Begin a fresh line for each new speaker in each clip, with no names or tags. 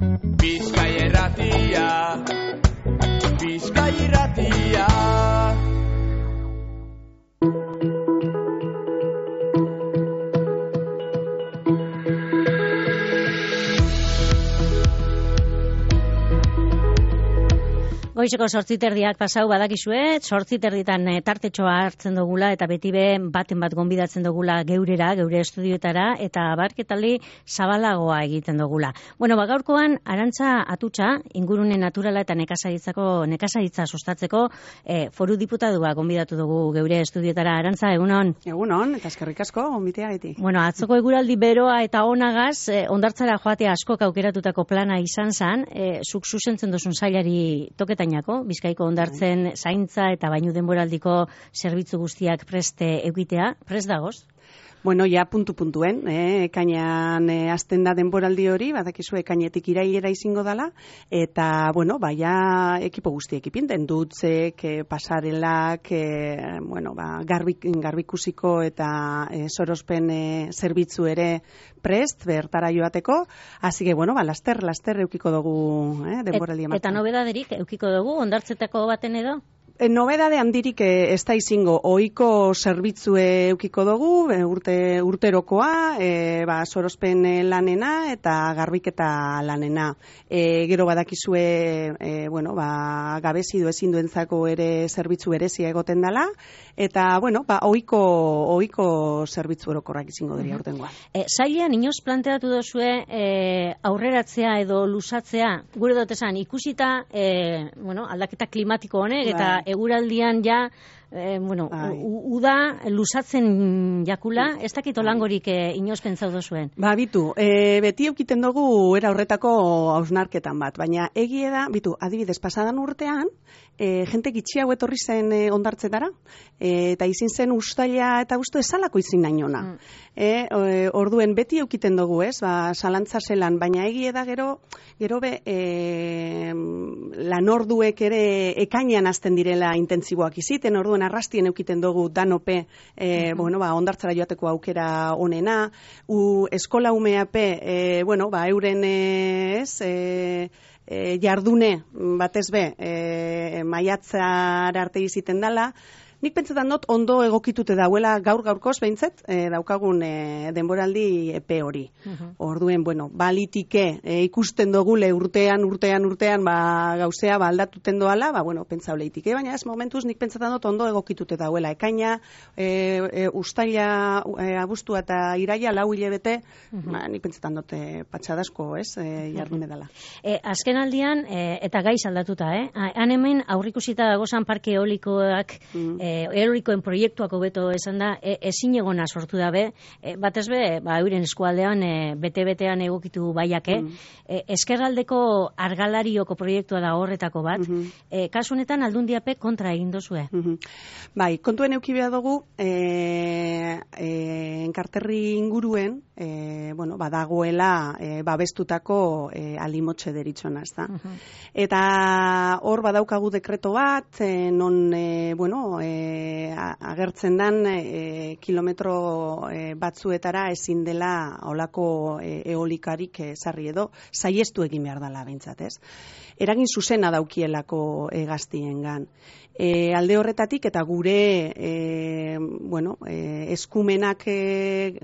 Bizkai Irratia, Bizkai Irratia.
Goizeko 8:30 pasau badakizue, 8:30 tartetxoa hartzen dugula eta beti baten bat gonbidatzen dugula geurera, geure estudioetara eta abarketali zabalagoa egiten dugula. Bueno, gaurkoan Arantza Atutxa, ingurune naturala eta nekazaritza sustatzeko foru diputadua gonbidatu dugu geure estudioetara. Arantza, egunon?
Egunon, eta eskerrik asko gonbiteagatik.
Bueno, atzoko eguraldi beroa eta onagaz, hondartzara joatea askok aukeratutako plana izan zen, zuk zuzentzen duzun sailari toketan Bizkaiko hondartzen zaintza eta bainu denboraldiko zerbitzu guztiak prest egitea, prest dagoz?
Bueno, ja puntuen, ekainean hasten da denboraldi hori, badakizu ekainetik irailera izango dela, eta, bueno, ja ekipo guztiek ipinten, dutzek, pasarelak, garbikusiko eta sorospen zerbitzu ere prest, bertara joateko, hasi que, bueno, laster eukiko dugu denboraldi ematen.
Eta nobedaderik eukiko dugu, hondartzetako baten edo?
Nobedade handirik ez da izango, ohiko zerbitzue eukiko dugu, urterokoa, sorospen lanena eta garbiketa lanena. Gero badakizue, gabezidu ezinduentzako ere zerbitzu berezia egoten dela, eta, ohiko zerbitzu orokorrak izango dira urtengoa.
Zailean, inoz planteatu duzue aurreratzea edo luzatzea, gure dut esan, ikusita aldaketa klimatiko honek, eta eguraldian ja, uda luzatzen jakula, ez dakit olangorik inoz pentsau dozuen?
Bitu, beti eukiten dugu era horretako hausnarketan bat, baina egie da, adibidez, pasadan urtean, jente gitxi hau etorri zen hondartzetara, eta izin zen ustaila eta usto esalako izin nainona. Orduen beti eukiten dugu, salantza zelan, baina egie da gero lanorduek ere ekainean hasten direla intentziboak iziten, orduen arrastien eukiten dugu danope, hondartzara joateko aukera onena, eskola umeape, euren jardune batez maiatzara arte iziten dela. Nik pentsetan dut ondo egokitute dauela gaur-gaurkoz behintzet daukagun denboraldi epe hori. Orduen, balitike ikusten dogule urtean, gauzea aldatuten doala, pentsa oleitike, baina ez momentuz nik pentsetan dut ondo egokitute dauela. Ekaina, ustaila, abuztua eta iraia, 4 hilabete, nik pentsetan dut patxadasko, jardune dela.
Azken aldian, eta gaiz aldatuta, han hemen aurrikusita dagozan parke eolikoak, eolikoen proiektuak hobeto esan da, ezin egona sortu dabe, batez euren eskualdean bete-betean egokitu baiake, eskerraldeko argalarioko proiektua da horretako bat, kasu honetan aldundiape kontra egin dozue.
Bai, kontuen euki behar dugu, enkarterri inguruen, badagoela babestutako alimotxe deritxona, ez da. Eta hor badaukagu dekreto bat, non, agertzen dan kilometro batzuetara ezin dela olako eolikarik sarri edo saiestu egin behar dela behintzat, ez? Eragin zuzena daukielako gaztiengan. Alde horretatik eta gure eskumenak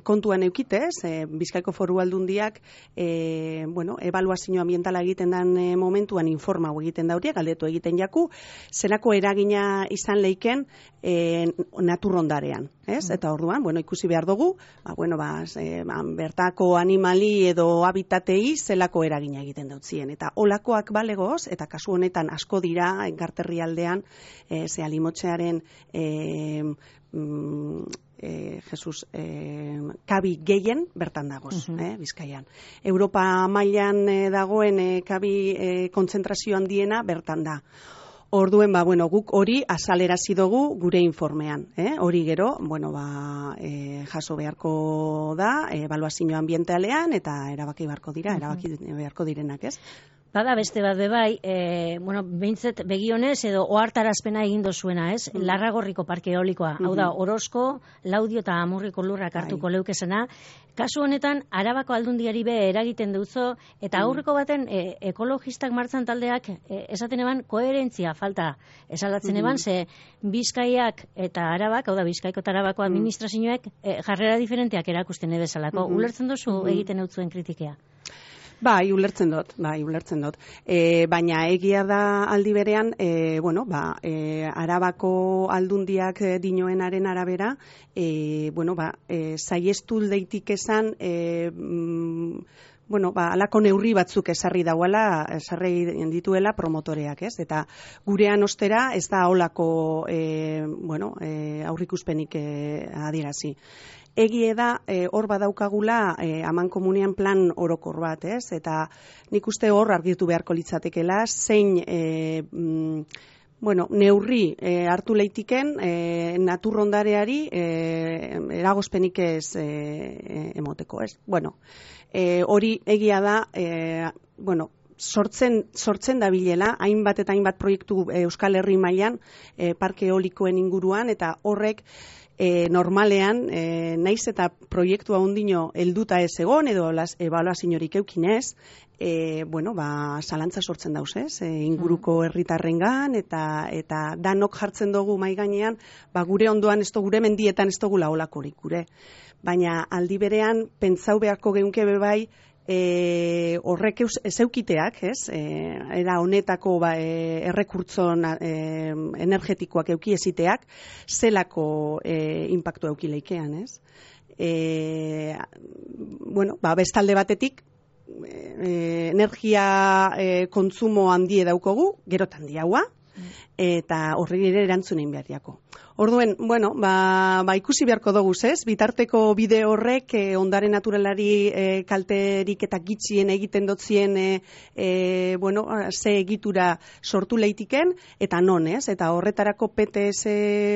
kontuan eukitez, Bizkaiko Foru Aldundiak ebaluazio ambientala egiten den momentuan informau egiten dauriak, galdetu egiten jaku, zelako eragina izan leiken naturrondarean, ez? Eta orduan, ikusi behar dugu, bertako animali edo habitatei zelako eragina egiten dautzien. Eta olakoak balegoz, eta kasu honetan asko dira, enkarterri aldean, ze alimotxearen kabi gehien bertan dagoz, Bizkaian. Europa mailan dagoen kabi kontzentrazio handiena bertan da. Orduen, guk hori azalerazi dugu gure informean. Hori gero, jaso beharko da, ebaluazio ambientalean, eta erabaki beharko direnak, ez?
Bada beste bat bebai, bueno, behintzet begionez edo ohartarazpena egin dozuena, ez? Larragorriko parke eolikoa. Hau da, Orozko, Laudio eta Amurriko lurrak hartuko leukezena. Kasu honetan, Arabako aldundiari be eragiten duzo, eta aurreko baten ekologistak martzan taldeak esaten eban koherentzia falta esalatzen eban, ze Bizkaiak eta Arabak, hau da, Bizkaiko eta Arabako administrazioek jarrera diferenteak erakusten edezalako. Ulertzen duzu egiten eutzuen kritikea?
Bai, ulertzen dut. Baina egia da aldi berean, Arabako aldundiak dinoenaren arabera, saiestu deitik esan, alako neurri batzuk esarri dituela promotoreak, ez? Eta gurean ostera ez da holako aurrikuspenik adierazi. Egie da, hor badaukagula amankomunean plan orokor bat, ez? Eta nik uste hor argitu beharko litzatekela, zein neurri hartu leitiken naturrondareari eragozpenik ez emoteko, ez? Hori egia da, sortzen dabilela, hainbat eta hainbat proiektu Euskal Herri mailan parke eolikoen inguruan, eta horrek normalean, naiz eta proiektua ondino helduta ez egon, edo ebaluaziorik eukinez, zalantza sortzen dauz, ez? Inguruko herritarrengan, eta danok jartzen dugu mai gainean, gure ondoan, gure mendietan ez dugu laolakorik gure. Baina aldi berean, pentsau beharko geunke bebai, horrek eukiteak, ez? Era honetako errekurtzon energetikoak eukieziteak, zelako impactu eukileikean, ez? Bestalde batetik, energia kontsumo handie daukogu, gerotan diaua, eta horri ere erantzunein beharriako. Orduen, ikusi beharko dugu, ez? Bitarteko bide horrek ondare naturalari kalterik eta gitxien egiten dotzien ze egitura sortu leitiken, eta non, ez? Eta horretarako PTS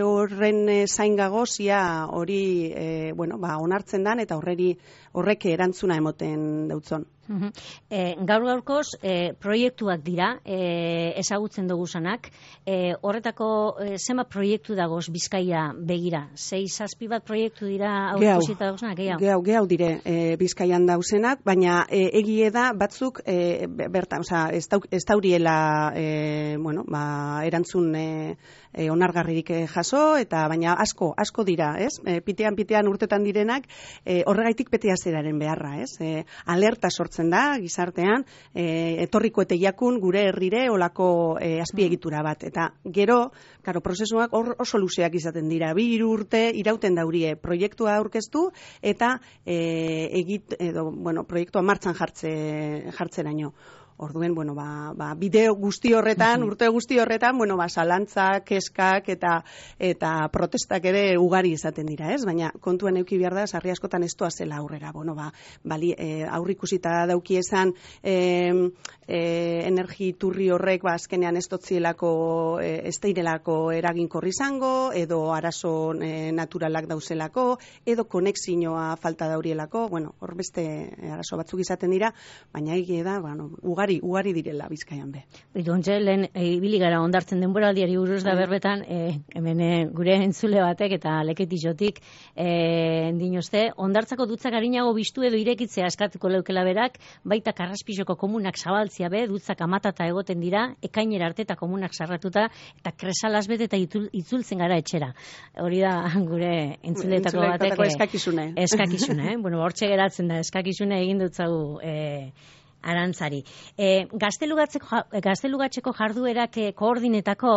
horren zaingagozia hori onartzen dan, eta horrek erantzuna emoten dautzon.
Gaur-gaurkoz proiektuak dira, ezagutzen dugu zanak. Horretako zenbat proiektu dagoz Bizkaia begira? 6-7 bat proiektu dira aurkusita dauzenak?
Gehiago dire Bizkaian dauzenak, baina egie da batzuk bertan, ez dauriela erantzun onargarririk jaso, eta baina asko dira, ez? Pitean urtetan direnak, horregaitik PTS-eraren beharra, ez? Alerta sortzen da, gizartean, etorriko eteiakun gure herrire olako azpiegitura bat. Eta gero, prozesuak oso luzeak izaten dira. 2 urte irauten daurie proiektua aurkeztu eta proiektua martxan jartzeraino. Orduen, bideo guzti horretan, urte guzti horretan, zalantzak, keskak eta protestak ere ugari izaten dira, ez? Baina kontuen euki behar da, sarri askotan ez zela aurrera. Aurrikusita dauki esan energi turri horrek azkenean ez dotzielako, ez deirelako eraginkorri izango, edo arazo naturalak dauzelako, edo konexioa falta daurielako, hor beste arazo batzuk izaten dira, baina egia da, ugari direla Bizkaian be.
Ontxe, lehen ibili gara ondartzen denboraldiari buruz da berbetan, hemen gure entzule batek eta leketixotik dinozte, ondartzako dutzak harinago biztu edo irekitzea eskatuko leukela berak, baita Karraspizoko komunak zabaltzia be, dutzak amatata egoten dira, ekainera arte eta komunak sarratuta, eta kresalaz bete eta itzultzen gara etxera. Hori da gure entzuleetako batek
eskakizune.
Hortxe geratzen da, eskakizune egin dutzagu Arantzari. Gaztelugatzeko jarduerak koordinetako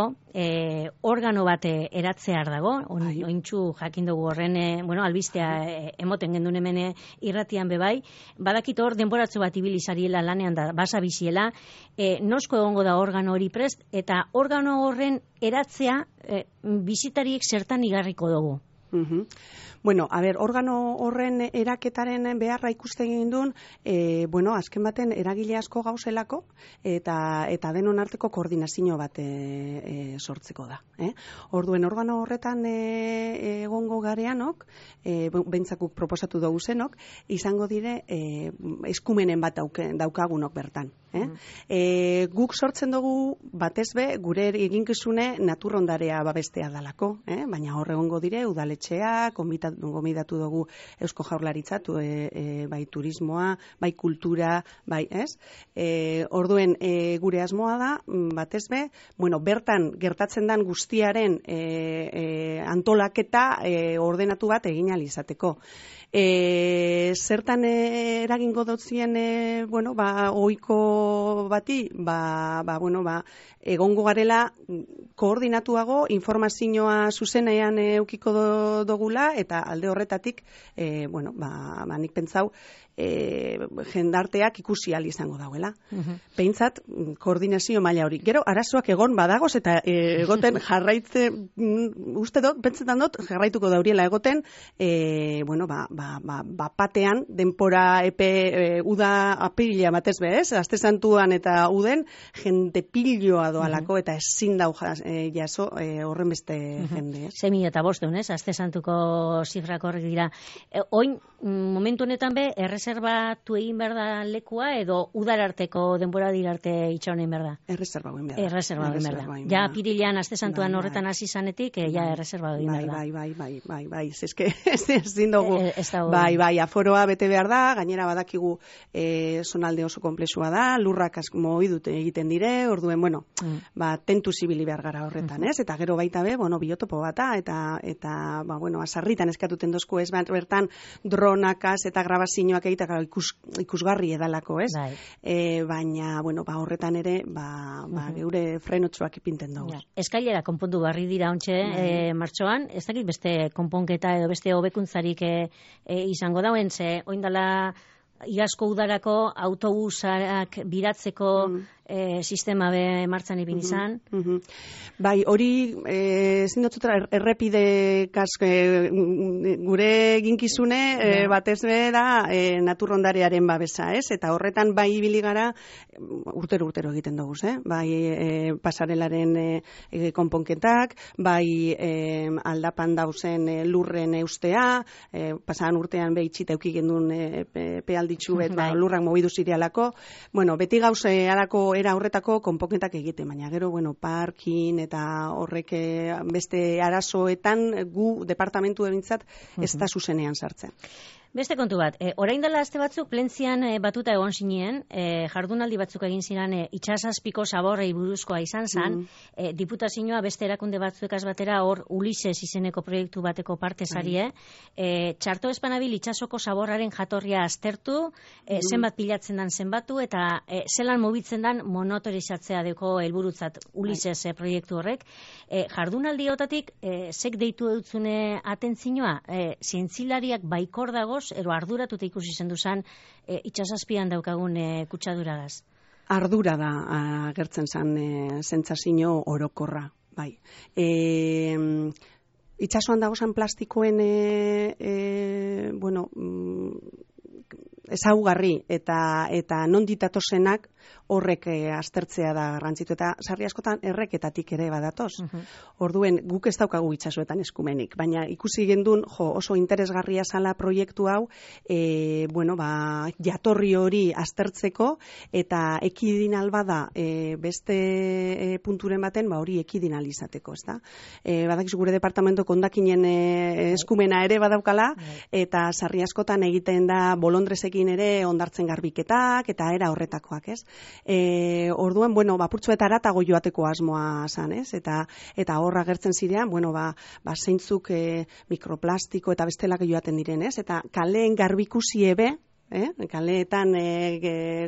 organo bat eratzear dago, ointxu jakin dugu horren, albistea emoten gendun hemen irratian bebai, badakit hor denboratzu bat ibilizariela lanean da, basa biziela, nosko egongo da organo hori prest, eta organo horren eratzea bizitariek zertan igarriko dugu.
Bueno, organo horren eraketaren beharra ikusten egin duen, azken baten eragile asko gauzelako, eta denon arteko koordinazio bat sortzeko da. Orduen, organo horretan egongo gareanok, bentzakuk proposatu dugu zenok, izango dire eskumenen bat daukagunok bertan. Guk sortzen dugu batez be, gure eginkizune naturrondarea babestea dalako, baina hor egongo dire, udaletxea, gomidatu dugu Eusko Jaurlaritza, bai turismoa, bai kultura, bai, ez? Orduen, gure asmoa da, batez be, bertan gertatzen den guztiaren antolaketa ordenatu bat egin ahal izateko. Zertan eragingo dotzien, ohiko bati, egongo garela koordinatuago informazioa zuzenean eukiko dugula, eta alde horretatik, nik pentsau, jendarteak ikusi ahal izango dauela. Behintzat, koordinazio maila hori. Gero, arazoak egon badagoz, eta egoten uste dut, pentsetan dut, jarraituko dauriela egoten, batean, denpora epe uda apirila batez bez, Aste Santuan eta uden, jende piloa doalako, eta ezin dau jaso horren beste jende.
6.500, ez? Aste Santuko zifrak horrek dira. Oin, momentu honetan be, erreserbatu egin behar da lekua, edo udararteko denbora dirarte itxaunen behar da?
Erreserbatu egin behar da.
Erreserbatu egin behar da. Ja, apirilean Aste Santuan horretan hasi zanetik, ja erreserbatu egin behar da.
Bai, zeske ezin dugu. Bai, aforoa bete behar da, gainera badakigu zonalde oso komplexua da, lurrak asko egiten dire, orduen, tentu zibili behar gara horretan, ez? Eta gero baita be, biotopo bata, eta azarritan eskatuten dozku, ez bertan dronakaz eta grabazioak egitaka ikusgarri edalako, ez? Baina, horretan ere, geure frenotxoak ipinten dugu.
Eskailera konpondu barri dira ontxe, martxoan, ez dakit beste konponketa edo beste hobekuntzarik izango dauen, ze oindala iazko udarako autobusak biratzeko sistema be martzan ibin izan.
Bai, hori zindotzutra errepide gure ginkizune batez be da naturrondarearen babesa, ez? Eta horretan bai ibili gara urtero egiten dugu, bai pasarelaren konponketak, bai aldapan dauzen lurren eustea, pasadan urtean behitxita eukik gendun pealditxu bet lurrak mobidu zirealako, beti gauze alako era horretako konponketak egiten, baina gero, parkin eta horrek beste arazoetan gu departamentu ebintzat ez da zuzenean sartzen.
Beste kontu bat, orain dela aste batzuk plentzian batuta egon zinien, jardunaldi batzuk egin ziren itsasazpiko zaborrei buruzkoa izan zan, diputazioa beste erakunde batzuekaz batera hor Ulises izeneko proiektu bateko parte zarie, txarto espanabil itsasoko zaborraren jatorria aztertu, zenbat pilatzen dan zenbatu, eta zelan mobitzen dan monotorizatzea deko helburutzat Ulises proiektu horrek. Jardunaldi hotatik, zek deitu eutzune atentzioa, zientzilariak baikor dagoz, ero arduratuta ikusi zendu zan itsasazpian daukagun kutsaduragaz?
Ardura da agertzen zan sentsazio orokorra, bai. Itsasoan dagozan plastikoen ezaugarri eta non ditatozenak horrek aztertzea da garrantzitu, eta sarri askotan erreketatik ere badatoz. Orduen, guk ez daukagu itsasoetan eskumenik, baina ikusi gendun, oso interesgarria zala proiektu hau, jatorri hori aztertzeko, eta ekidin albada beste punturen baten, hori ekidin alizateko, ez da? Badakizu gure departamento kondakinen eskumena ere badaukala, eta sarri askotan egiten da bolondrezekin ere ondartzen garbiketak, eta era horretakoak, ez? Orduan, apurtzueta aratago joateko asmoa zan, ez? Eta horra gertzen zirean, zeintzuk mikroplastiko eta bestelak joaten diren, ez? Eta kaleen garbikusi ebe, kaleetan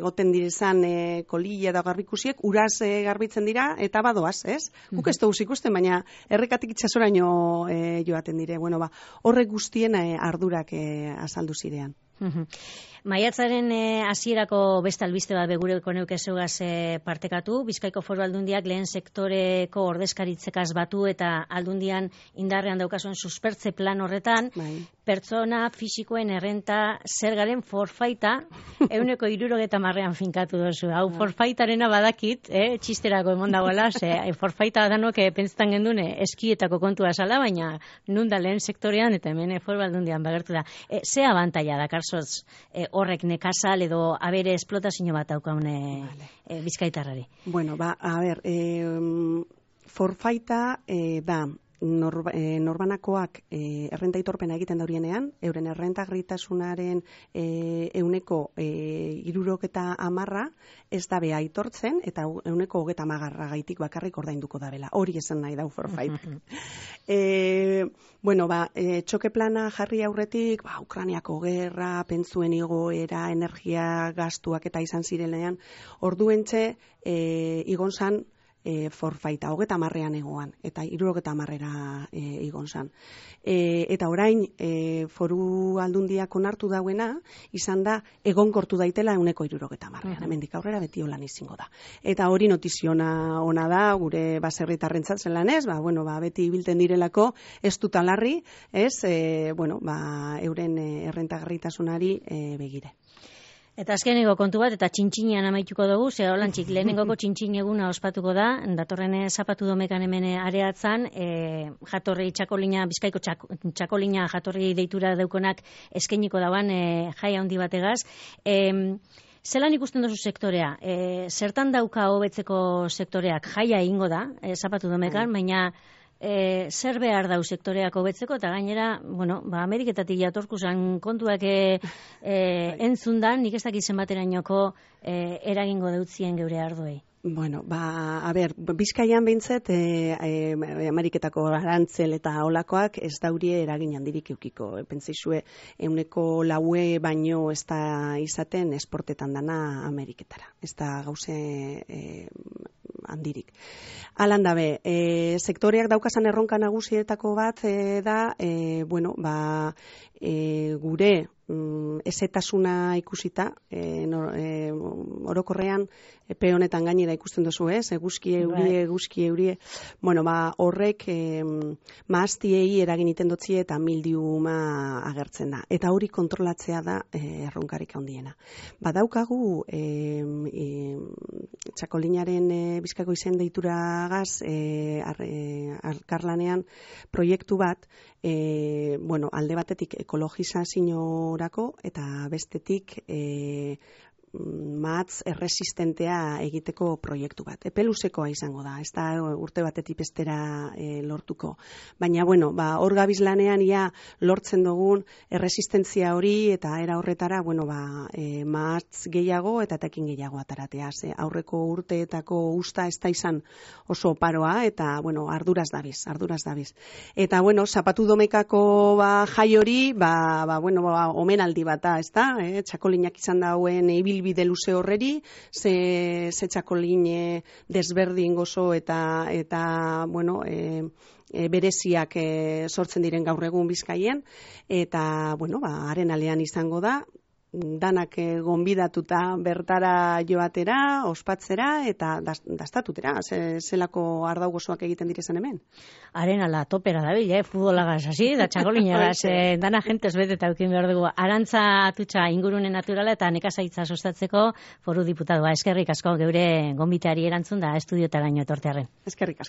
goten direzan kolilla eta garbikusiek uraz garbitzen dira eta badoaz, ez? Guk ez dugu ikusten, baina errekatik itsasoraino joaten dire. Horrek guztien ardurak azaldu zirean.
Maiatzaren hasierako beste albiste bat begureko neuke zeugaz partekatu. Bizkaiko Foru Aldundiak lehen sektoreko ordezkaritzekaz batu eta Aldundian indarrean daukazuen suspertze plan horretan, pertsona fisikoen errenta zergaren forfaita 70%an finkatu dozu. Hau forfaitarena badakit, txisterako emon dagoela, forfaita danok pentsetan gendune eskietako kontua zala, baina nun da lehen sektorean eta hemen Foru Aldundian bagertu da. Ze abantaila da, Karsoz, horrek nekazal edo abere esplotazio bat daukaune bizkaitarrari? Bueno,
a ber, forfaita da norbanakoak errenta aitorpena egiten daurienean, euren errentagarritasunaren 70% ez dabe aitortzen, eta 70% gaitik bakarrik ordainduko dabela. Hori esan nahi dau forfait. Txoke plana jarri aurretik, Ukrainiako gerra, pentsuen igoera, energia gastuak eta izan zirenean, orduentxe igon zan forfaita, 30ean egoan, eta 70era igon zan. Eta orain, Foru Aldundiak onartu dauena, izan da, egonkortu daitela 70ean. Hemendik aurrera beti holan izango da. Eta hori notiziona ona da, gure baserritarrentzat zelan ez, beti ibilten direlako, ez dut alarri, euren errentagarritasunari begire.
Eta azkeneko kontu bat, eta txintxinean amaituko dugu, holantzik lehenengoko txintxin eguna ospatuko da, datorren zapatu domekan hemen areatzan, jatorri txakolina, Bizkaiko txakolina jatorri deitura daukonak eskainiko dauan jai handi bategaz. Zelan ikusten duzu sektorea? Zertan dauka hobetzeko sektoreak? Jaia egingo da, zapatu domekan, baina zer behar dau sektoreak hobetzeko, eta gainera, Ameriketatik jatorku zan kontuak entzundan, nik ez dakit zenbaterainoko eragingo deutzien geure ardoei. Bizkaian behintzet, Ameriketako arantzel eta olakoak ez daurie eragin handirik eukiko. Pentsaizue, 9% baino ez da izaten esportetan dana Ameriketara. Ez da gauze handirik. Alan dabe, sektoreak daukazan erronka nagusietako bat da, gure ezetasuna ikusita, orokorrean, epe honetan gainera ikusten duzu, eguzki eurie, horrek maaztiei eragin iten dotzie eta mildiuma agertzen da. Eta hori kontrolatzea da erronkarik handiena. Badaukagu txakolinaren Bizkaiko izen deituragaz alkarlanean proiektu bat, alde batetik ekologizaziorako eta bestetik mahatz erresistentea egiteko proiektu bat. Epeluzekoa izango da, ez da urte batetik bestera lortuko. Baina, hor gabiz lanean ia lortzen dugun erresistentzia hori eta era horretara, mahatz gehiago eta tekin gehiago ataratea. Aurreko urteetako usta ez da izan oso oparoa eta, arduraz dabiz. Eta, zapatu domekako jai hori, omenaldi bata, ez da? Txakolinak izan dauen ibilbide luze horreri, ze txakolin desberdin gozo eta bereziak sortzen diren gaur egun Bizkaien, eta, haren alean izango da, danak gonbidatuta bertara joatera, ospatzera eta dastatutera, zelako ardau gozoak egiten direzan hemen. Haren ala topera dabil, futbolagaz hasi, da txakolinagaz, dana jentez beteta eukin behar dugu. Arantza Atutxa ingurune naturala eta nekazaitza sustatzeko Foru Diputadua. Eskerrik asko geure gonbiteari erantzun da estudiotaraino etortearren.
Eskerrik asko.